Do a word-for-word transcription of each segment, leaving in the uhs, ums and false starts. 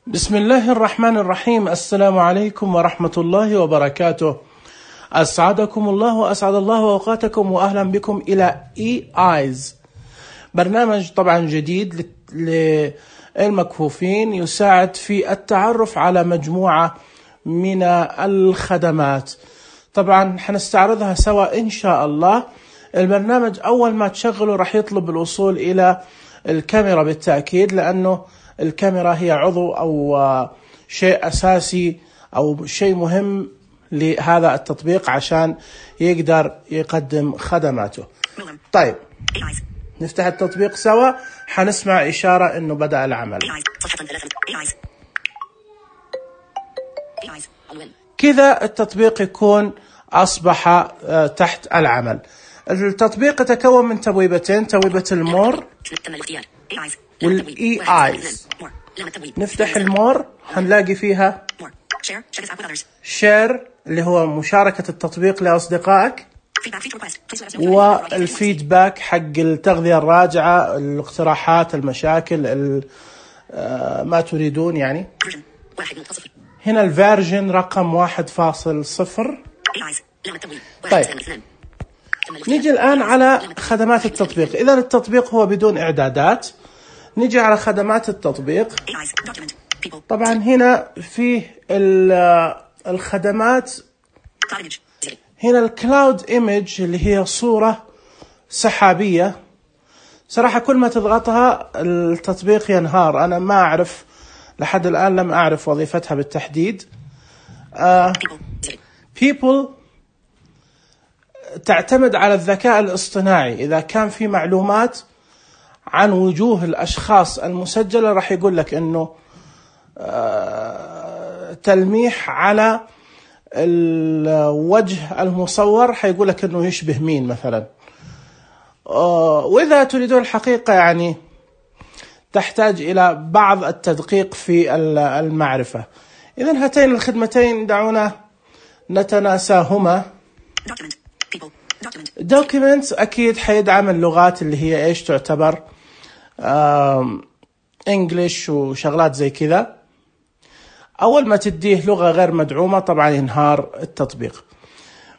بسم الله الرحمن الرحيم. السلام عليكم ورحمة الله وبركاته. أسعدكم الله وأسعد الله أوقاتكم وأهلا بكم إلى إي آيز، برنامج طبعا جديد للمكفوفين يساعد في التعرف على مجموعة من الخدمات. طبعا حنستعرضها سوا إن شاء الله. البرنامج أول ما تشغله راح يطلب الوصول إلى الكاميرا بالتأكيد، لأنه الكاميرا هي عضو أو شيء أساسي أو شيء مهم لهذا التطبيق عشان يقدر يقدم خدماته. طيب نفتح التطبيق سوا، حنسمع إشارة إنه بدأ العمل. كذا التطبيق يكون أصبح تحت العمل. التطبيق يتكون من تبويبتين، تبويبة المور والإي آيز. نفتح المور، هنلاقي فيها شير اللي هو مشاركة التطبيق لأصدقائك، والفيدباك حق التغذية الراجعة، الاقتراحات، المشاكل، ما تريدون يعني. هنا الفيرجن رقم واحد فاصل صفر. طيب نيجي الآن على خدمات التطبيق. إذا التطبيق هو بدون إعدادات، نيجي على خدمات التطبيق. طبعا هنا فيه الخدمات، هنا الكلاود ايمج اللي هي صورة سحابية. صراحة كل ما تضغطها التطبيق ينهار، أنا ما أعرف لحد الآن، لم أعرف وظيفتها بالتحديد. uh, people تعتمد على الذكاء الاصطناعي. إذا كان في معلومات عن وجوه الأشخاص المسجلة راح يقول لك إنه تلميح على الوجه المصور، حيقول لك إنه يشبه مين مثلا. وإذا تريدون الحقيقة يعني تحتاج إلى بعض التدقيق في المعرفة. إذن هاتين الخدمتين دعونا نتناساهما. documents أكيد حيدعم اللغات اللي هي إيش تعتبر إنجليش وشغلات زي كذا. أول ما تديه لغة غير مدعومة طبعا ينهار التطبيق.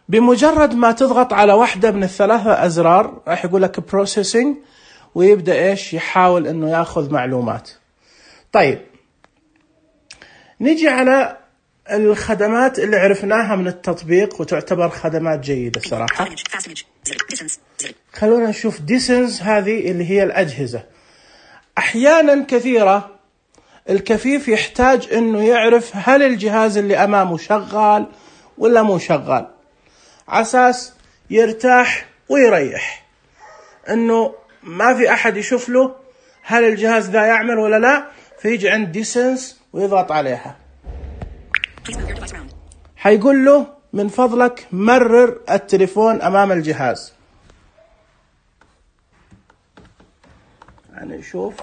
بمجرد ما تضغط على واحدة من الثلاثة أزرار راح يقول لك processing، ويبدأ إيش يحاول إنه يأخذ معلومات. طيب نيجي على الخدمات اللي عرفناها من التطبيق وتعتبر خدمات جيدة صراحة. خلونا نشوف distance، هذه اللي هي الأجهزة. أحيانا كثيرة الكفيف يحتاج إنه يعرف هل الجهاز اللي أمامه شغال ولا مو شغال، عساس يرتاح ويريح إنه ما في أحد يشوف له هل الجهاز ذا يعمل ولا لا. فيجي عند distance ويضغط عليها، حيقول له من فضلك مرر التليفون أمام الجهاز. يعني شوف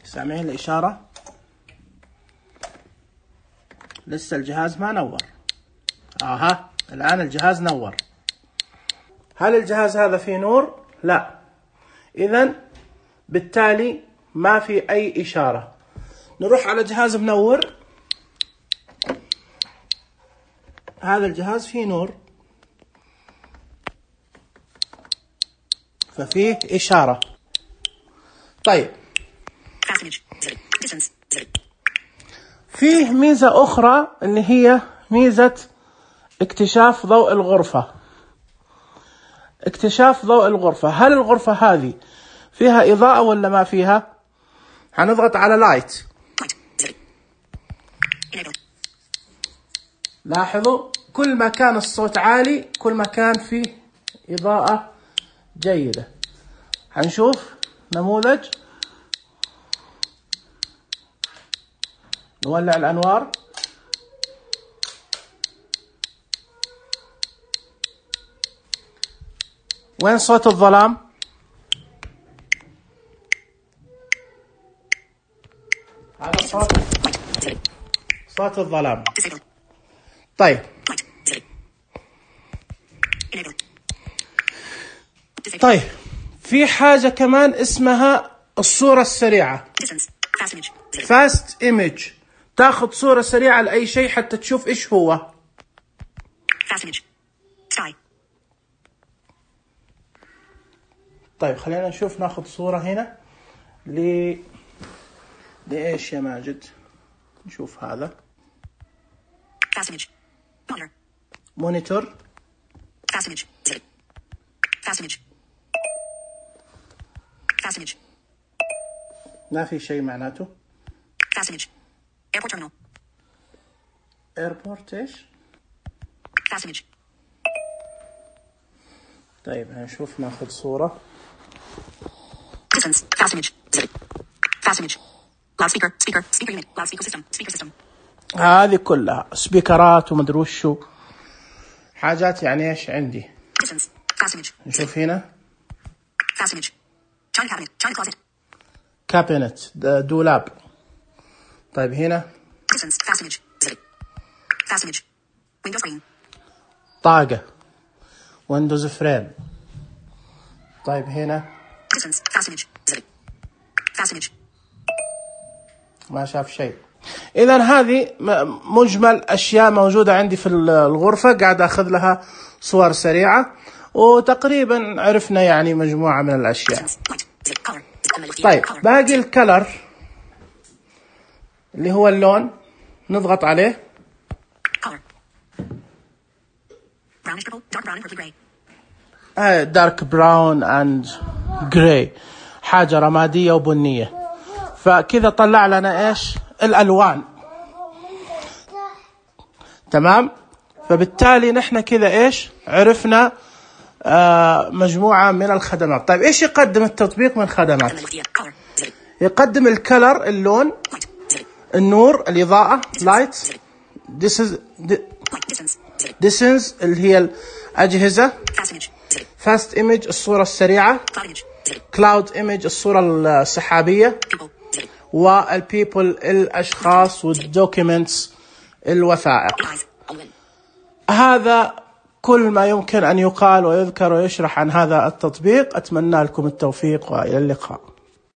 سامعين الإشارة؟ لسه الجهاز ما نور. آها الآن الجهاز نور. هل الجهاز هذا فيه نور؟ لا. إذن بالتالي ما في أي إشارة. نروح على جهاز منور. هذا الجهاز فيه نور ففيه إشارة. طيب فيه ميزة أخرى اللي هي ميزة اكتشاف ضوء الغرفة. اكتشاف ضوء الغرفة، هل الغرفة هذه فيها إضاءة ولا ما فيها؟ هنضغط على لايت. لاحظوا كل ما كان الصوت عالي كل ما كان فيه إضاءة جيدة. هنشوف نموذج، نولع الأنوار. وين صوت الظلام؟ هذا صوت صوت الظلام. طيب طيب في حاجة كمان اسمها الصورة السريعة fast image. تاخذ صورة سريعة لأي شيء حتى تشوف إيش هو. طيب خلينا نشوف، ناخذ صورة هنا ل لإيش يا ماجد؟ نشوف هذا مونيتور. ما في شيء معناته. Airport terminal. ايربورت ايش؟ Fast image. طيب هنشوف، ناخذ صورة. Distance. Fast image. Fast image. Loudspeaker. Speaker. Speaker unit. Loudspeaker system. Speaker system. هذه كلها سبيكرات ومدري وشو حاجات، يعني ايش عندي. Distance. Fast image. نشوف هنا Fast image. China cabinet. China closet. كابينت، دولاب. طيب هنا Distance. Fast image. Fast image. Windows screen. طاقة، ويندوز فريم. طيب هنا Distance. Fast image. Fast image. ما شاف شيء. إذا هذه مجمل أشياء موجودة عندي في الغرفة، قاعد أخذ لها صور سريعة، وتقريبا عرفنا يعني مجموعة من الأشياء. طيب باقي الكلر اللي هو اللون، نضغط عليه. آه دارك براون اند جراي، حاجة رمادية وبنية. فكذا طلع لنا ايش الالوان. تمام. فبالتالي نحن كذا ايش عرفنا آه مجموعة من الخدمات. طيب ايش يقدم التطبيق من خدمات؟ يقدم الكلر اللون، النور الإضاءة لايت، distance اللي هي الأجهزة، fast image الصورة السريعة، cloud image الصورة السحابية، والبيبل الأشخاص، والدوكيومنتس الوثائق. هذا كل ما يمكن أن يقال ويذكر ويشرح عن هذا التطبيق. أتمنى لكم التوفيق وإلى اللقاء.